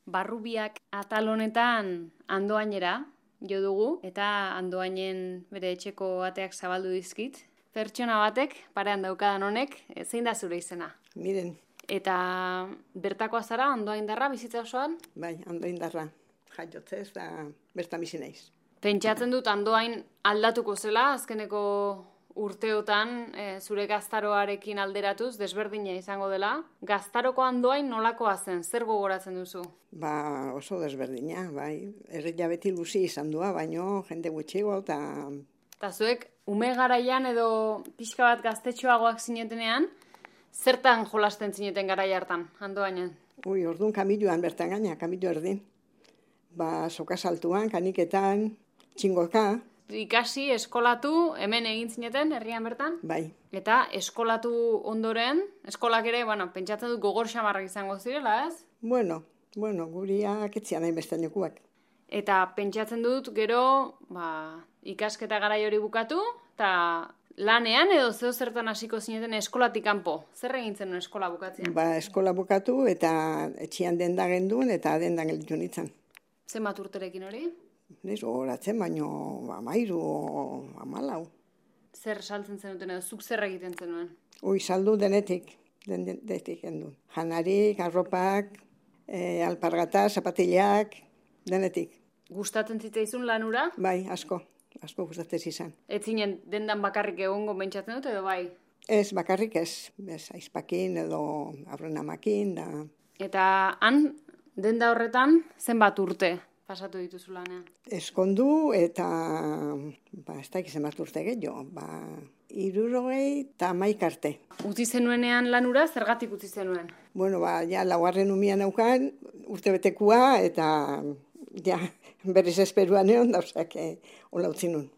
Barrubiak atal honetan Andoainera jo dugu eta Andoainen bere etxeko ateak zabaldu dizkit. Pertsona batek, parean daukadan honek, zein da zure izena? Miren. Eta bertakoa zara, Andoaindarra bizitza osoan? Bai, Andoaindarra. Jaiotzez da bertan bizi naiz. Pentsatzen dut Andoain aldatuko zela, azkeneko urteotan zure gaztaroarekin alderatuz, desberdina izango dela. Gaztaroko Andoain nolakoa zen, zer gogoratzen duzu? Ba, oso desberdina, bai. Herria beti luzi izan dua, baino jende gutxigo eta... Eta zuek, ume garaian edo pixka bat gaztetxoagoak zinetenean, zertan jolasten zineten garai hartan, Andoainen? Orduan kamiluan bertan gaina, kamilu erdin. Ba, soka saltuan, kaniketan, txingoka. Ikasi, eskolatu, hemen egin zineten, herrian bertan? Bai. Eta eskolatu ondoren, eskolak ere, pentsatzen dut gogor xamarrak izango zirela, ez? Bueno, guriak etzian hain beste nekuak. Eta pentsatzen dut, gero, ikasketa garai hori bukatu, eta lanean edo zeo zertan hasiko zineten eskolatik kanpo. Zer egin zenuen eskola bukatzean? Ba, eskola bukatu eta etxian denda genduen eta dendan gelditu nintzen. Zenbat urterekin hori? Nez gogoratzen, baino 13 o 14. Zer saltzen zenuten edo, zuk zer egiten zenuen? Saldu denetik gendun. Janarik, arropak, alpargata, zapatillak, denetik. Gustatzen zitzaizun lanura? Bai, asko gustatzen izan. Ez zinen dendan bakarrik egongo pentsatzen dut edo bai? Ez, bakarrik ez. Aizpakin edo aurrenamakin da. Eta han, denda horretan, zenbat urte pasatu dituzu lanean? Eskondu eta, ez da zenbat urte gehiago, 71 arte. Utzi zenuenean lanura, zergatik utzi zenuen? Ja, laugarren umian naukan, urte betekua, eta berriz esperuan egon dauzak hola utzi nun.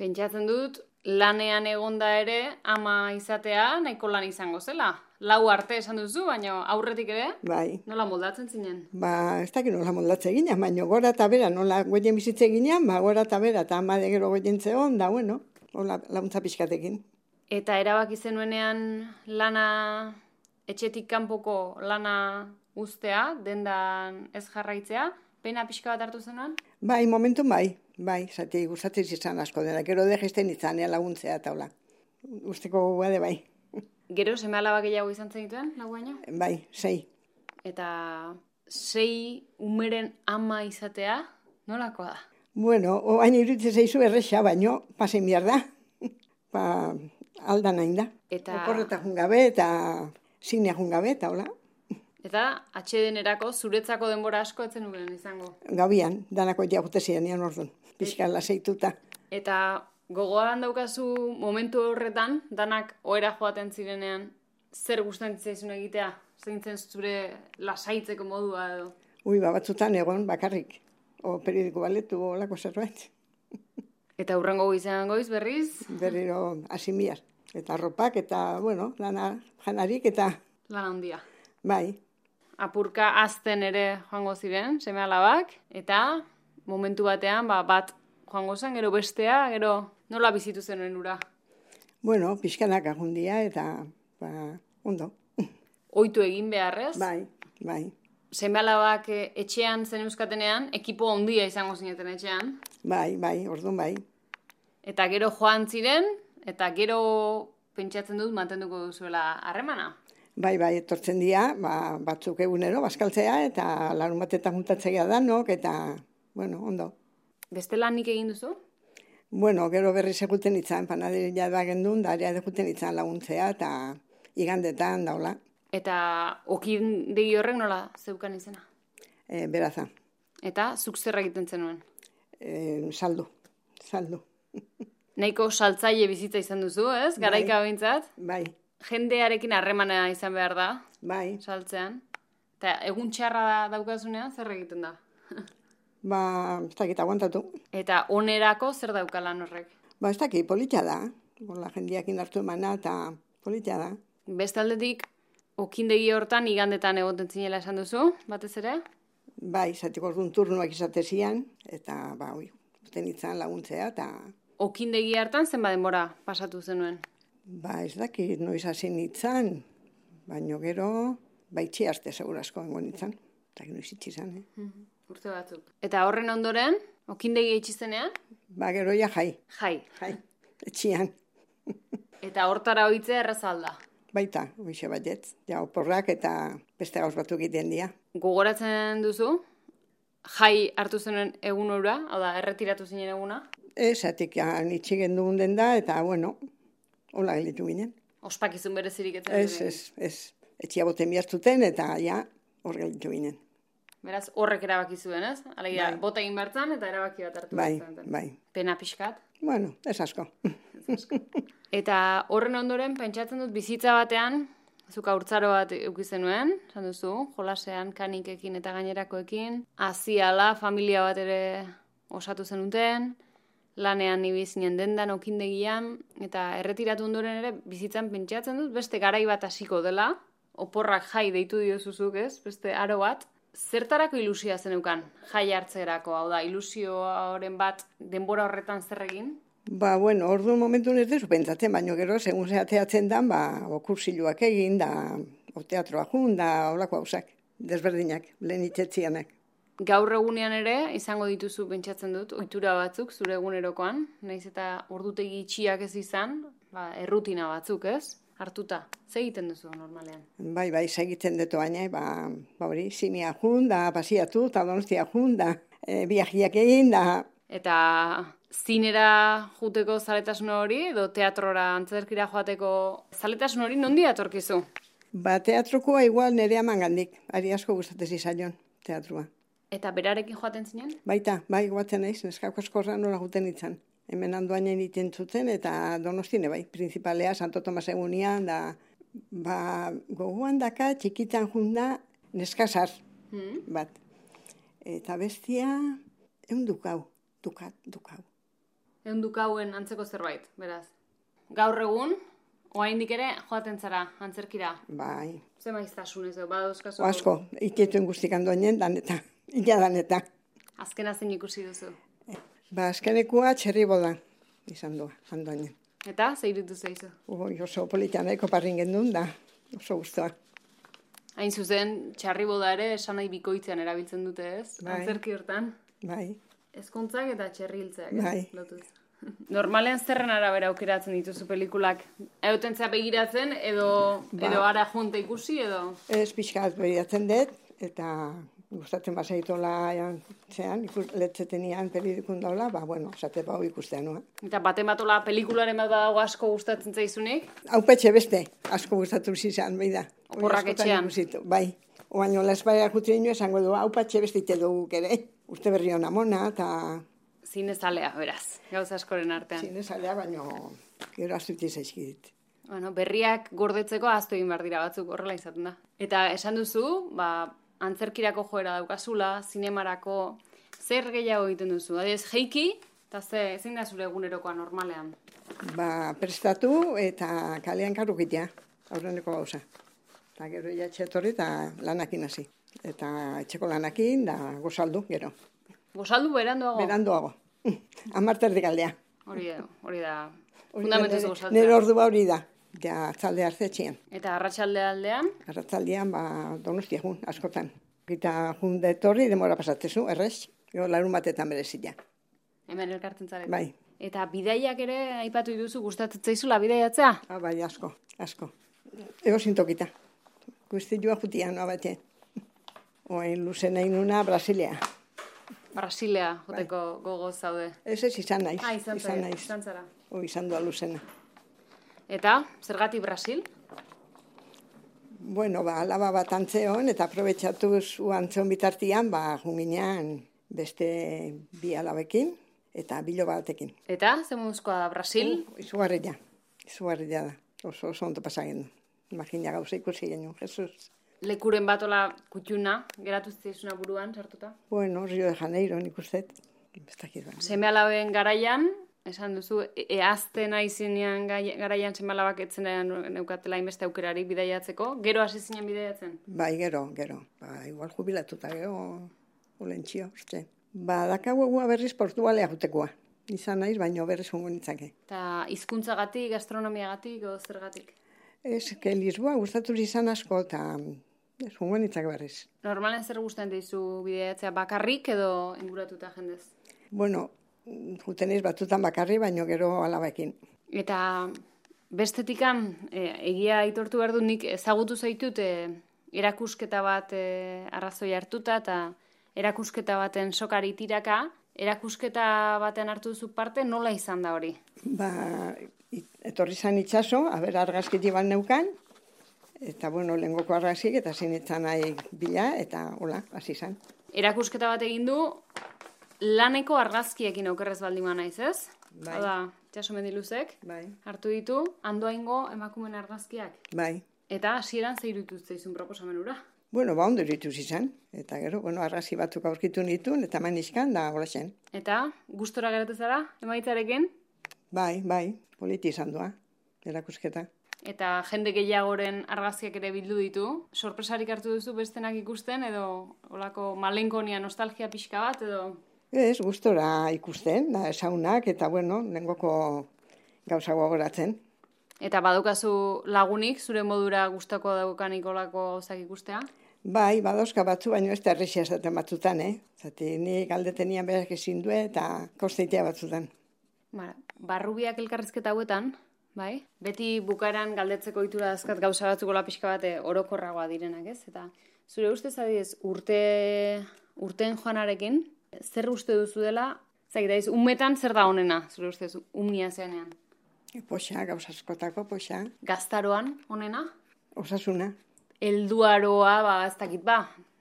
Pentsatzen dut, lanean egonda ere, ama izatea nahiko lan izango zela. 4 arte esan duzu, baina aurretik ere, bai. Nola moldatzen zinen? Ez dakit nola moldatzen ginen, baina gora eta bera, nola goien bizitzen ginen, gora eta bera, eta ama de gero goien zeon, da, hola laguntza pixkatekin. Eta erabaki zenuenean lana, etxetik kanpoko lana uztea, dendan ez jarraitzea, pena pixka bat hartu zenuen? Bai, momentu bai, zati gustatzen izan asko dela, gero dejesten izan laguntzea eta hola. Usteko guade bai. Gero, seme alaba gehiago izan zenituen, laguaino? Bai, 6. Eta 6 umeren ama izatea, nolakoa da? Oain iruditzen zaizu erresa, baino, pasen behar da. Aldan hain da. Oporreta jungabe eta zinea jungabe eta hola. Eta atxedenerako zuretzako denbora asko etzen nuen izango? Gabian, danako jagute ziren orduan, pixka laseituta. Eta gogoan daukazu momentu horretan, danak ohera joaten zirenean, zer gustatzen zaizun egitea? Zein zen zure lasaitzeko modua edo? Batzutan egon bakarrik. Periodiko baletu olako zerbait. Eta hurrengo goizean goiz berriz? Berriro asimbiar. Eta arropak eta, lana janarik eta... Lana handia. Bai. Apurka azten ere joango ziren, seme alabak, eta momentu batean bat joango zen, gero bestea, gero nola bizitu zenuen ura? Pixkanak agundia eta, ondo. Oitu egin beharrez? Bai. Seme alabak etxean zen euskatenean, ekipo handia izango zineten etxean? Bai, orduan bai. Eta gero joan ziren, eta gero pentsatzen dut mantenduko duzuela harremana? Bai, etortzen dira, batzuk egunero, bazkaltzea, eta larun batetan juntatzea danok, eta, ondo. Beste lanik egin duzu? Gero berriz eguten itzan, panaderia da gendun, da ere eguten itzan laguntzea, eta igandetan daula. Eta okindegi horrek nola zeukan izena? Beraza. Eta zuk zer egiten zenuen? Saldu. Nahiko saltzaile bizitza izan duzu, ez? Garaika behintzat? Bai. Jendearekin harremana izan behar da. Bai. Saltzean. Eta egun txarra daukazunean, zer egiten da? Ez dakit aguantatu. Eta onerako zer dauka lan horrek? Ez dakit, politia da. Jendeakin hartu emana eta politia da. Beste aldetik, okindegi hortan igandetan egoten zinela esan duzu, batez ere? Bai, zatiko orduan turnuak izatezian, eta uten itzan laguntzea, eta... Okindegi hartan zenba denbora pasatu zenuen? Ez dakit, noiz hasi nintzen, baino gero, itxi arte segurasko engo nintzen. Eta noiz itxi izan, Urte batzuk. Eta horren ondoren, okindegi itxizenean? Ba, gero ja jai. Jai. Etxian. Eta hortara oitzea errazalda. Baita, hoxe batez. Ja, oporrak eta beste gauz batzuk egiten dira. Gogoratzen duzu? Jai hartu zenuen egun hura, hau da, erretiratu zinen eguna? Atik itxi genduen den da, eta, bueno, hola gelitu ginen. Ospakizun berezirik etzen? Ez. Etxia boten bihartuten, eta ja, hor gelitu ginen. Beraz, horrek erabaki zuen, ez? Alegia, bota egin bertzan, eta erabaki bat hartu bertzan. Bai. Pena pixkat? Bueno, ez asko. Eta horren ondoren, pentsatzen dut bizitza batean, zuk haurtzaro bat eukizenuen, esan duzu, jolasean, kanikekin eta gainerakoekin, aziala, familia bat ere osatu zenuten, lanean ibizinen dendan, okindegian, eta erretiratu ondoren ere, bizitzan pentsatzen dut, beste garai bat hasiko dela, oporrak jai deitu diozuzuk, ez? Beste aro bat. Zertarako ilusioa zeneukan jai hartzerako, hau da, ilusioaren bat denbora horretan zer egin? Ba, bueno, ordu momentu ez dezu pentsatzen, baina gero, segun zehateatzen dan, ba, kursiluak egin, da, teatroa jun, da, holako hausak, desberdinak, lehen itxetzianak. Gaur egunean ere, izango dituzu pentsatzen dut, ohitura batzuk, zure egunerokoan, nahiz eta ordutegi itxiak ez izan, ba, errutina batzuk, ez? Hartuta, ze egiten duzu normalean? Bai, segiten dut baina, hori, zimia jun, da, pasiatu, eta donostia jun, da, biajiak egin, da. Eta zinera juteko zaletasun hori, edo teatrora antzerkira joateko zaletasun hori nondi atorkizu? Ba, teatrokoa igual nire amangandik, ari asko gustatez izaion, teatroa. Eta berarekin joaten zinen? Baita, guatzen naiz, neskako askorra nola juten itzan. Hemen handoainen iten zuten, eta Donostine bai, principalea, Santo Tomas egunian, da, ba, gogoan daka, txikitan junda, neskasar, bat. Eta bestia, dukau. Dukauen antzeko zerbait, beraz. Gaur egun, oraindik ere, joaten zara, antzerkira. Bai. Ze maiztasunez, badauzkazu? Asko, itituen guztik handoainen, daneta, daneta. Azkena zein ikusi duzu? Ba, azkenekua txerriboda izan doa, handoainen. Eta, zeiritu zeizu? Oso politan nahiko parrin gendun, da, oso guztua. Hain zuzen, txarriboda ere esan nahi bikoitzean erabiltzen dute, ez? Bai. Antzerki hortan. Bai. Ezkontzak eta txerriltzeak. Bai. Lotuz. Normalean zerren arabera aukeratzen dituzu pelikulak? Eutentzea begiratzen, edo ara junta ikusi, edo? Ez pixkat begiratzen dut, eta gustatzen basaitola zean, letzetenian pelikun daula, ba, bueno, esate bau ikustean, no? Eta baten batola pelikularen bat dago asko gustatzen zaizunik? Haupetxe beste, asko gustatu zizan, behi da. Oporrak etxean? Bai, oaino lesbaia jutri ino esango du, haupetxe beste ite dugu ere. Uste berri hona mona, eta... Zinezalea, beraz, gauza askoren artean. Zinezalea, baino gero astuti zaizkidit. Bueno, berriak gordetzeko ahaztu egin behar dira batzuk horrela izaten da. Eta esan duzu, ba, antzerkirako joera daukazula, zinemarako, zer gehiago egiten duzu? Adez, jeiki, eta zein da zure egunerokoa normalean? Ba, prestatu eta kalean karrukitea, aurreneko gauza. Eta gero ja etxetorri eta lanakin hasi. Eta etxeko lanakin, da gozaldu, gero. Gozaldu beranduago? Beranduago. 10:00 aldea. Hori da, fundamentuz gozatzea. Nire ordua hori da. Ja, atzalde hartzetxean. Eta arratsalde aldean? Arratsaldean, ba, Donostia jun, askotan. Gita jun detorri, demora pasatzezu, errez. Jo, larun batetan berezila. Hemen elkartzen zarete. Bai. Eta bidaiak ere, aipatu dituzu, gustatzen zaizula bidaiatzea? Bai, asko. Ego zintokita. Guztilua jutia, noa bate. Oain luzen nahi nuna, Brasilea. Brasilea, joteko gogo zaude. Ez izan naiz. Izan zara. Izan doa luzena. Eta, zergatik Brasil? Bueno, ba, alaba bat antzeon, eta aprobetxatuz antzeon bitartian, ba, junginean beste bi alabekin, eta bilo batekin. Eta, zemuzkoa da, Brasil? Izugarria da. Oso ondo pasagendu. Imagina gauza ikusi genuen, Jesus. Lekuren batola kutxuna, geratu zizuna buruan, sartuta? Bueno, Rio de Janeiro, nik ustet. Seme alaben garaian, esan duzu, eazten aizinean garaian seme alabak etzen neukatela inbeste aukerarik bidaiatzeko. Gero hasi zinen bidaiatzen? Bai, gero. Ba, igual jubilatuta, gero, olentxio, uste. Ba, dakagoa berriz Portugalea jutekoa. Izan naiz, baino berriz hongo nitzake. Eta hizkuntzagatik, gastronomiagatik, o zergatik? Ez, que Lisboa gustatu izan asko, eta Ez, jungo nintzak berriz. Normalen zer gustatzen dizu bideatzea, bakarrik edo inguratuta jendez? Bueno, juten naiz batzutan bakarri, baino gero alabekin. Eta bestetikan, egia aitortu behar dut, nik ezagutu zaitut erakusketa bat arrazoi hartuta eta erakusketa baten sokari tiraka, erakusketa baten hartu duzu parte, nola izan da hori? Etorri zan itxaso, argazkiti bat neukan, eta bueno, lehengoko argazkik eta zinitzen nahi bila, eta hola, hasi zan. Erakusketa bat egin du, laneko argazkiekin okerrez baldin naiz, ez? Bai. Hau da, itxaso mendiluzek, Bai. hartu ditu, Andoaingo emakumen argazkiak. Bai. Eta hasieran zeirutu zaizun proposamen hura? Bueno, ondo irituz izan. Eta gero, argazki batzuk aurkitu nituen, eta manizkan, da hola zen. Eta, gustora geratu zara, emaitzarekin? Bai, politi izan doa, erakusketa. Eta jende gehiagoren argazkiak ere bildu ditu. Sorpresarik hartu duzu bestenak ikusten, edo olako malenkonia nostalgia pixka bat, edo... Ez, gustora ikusten, da esaunak, eta lehengoko gauza gogoratzen. Eta badukazu lagunik, zure modura gustako daukanik olako gauzak ikustea? Bai, badozka batzu, baina ez da errexia esaten batzutan, Zati, ni galdetenian berak ezin du eta kosteitea batzutan. Barrubiak elkarrizketa hauetan, bai? Beti bukaeran galdetzeko itura dazkat gauza batzuko pixka bat orokorragoa direnak, ez? Eta zure ustez adidez, urteen joanarekin, zer uste duzu dela, zakitaiz, umetan zer da honena, zure ustez, umnia zeanean? Poxa, gauza askotako, poxa. Gaztaroan, honena? Osasuna. Helduaroa, ez dakit,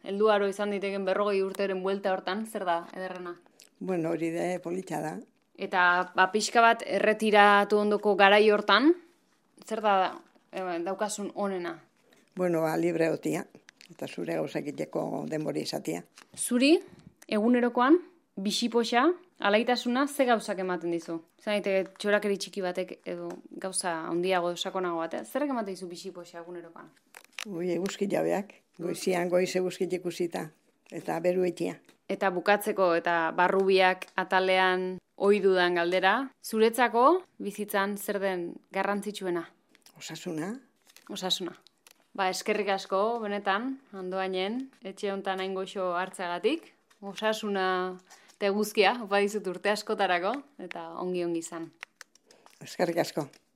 helduaro izan diteken 40 urteren buelta hortan, zer da, ederrena? Bueno, hori da, polita da. Eta, pixka bat, erretiratu ondoko garai hortan, zer da daukasun honena? Bueno, libre otia, eta zure gauzak iteko denbori izatia. Zuri, egunerokoan, bisipoxa, alaitasuna, ze gauzak ematen dizu? Zanaite, txorakeri txiki batek edo gauza handiago sakonago bat, zerrek ematen dizu bisipoxa egunerokoan? Eguzki jabeak, goizian goiz eguzkit ikusita, eta beru etia. Eta bukatzeko eta barrubiak atalean ohidudan galdera, zuretzako bizitzan zer den garrantzitsuena? Osasuna. Osasuna. Eskerrik asko, benetan, Andoainen, etxe hontan hain goxo hartzeagatik. Osasuna eta eguzkia, opa dizut urte askotarako, eta ongi izan. Eskerrik asko.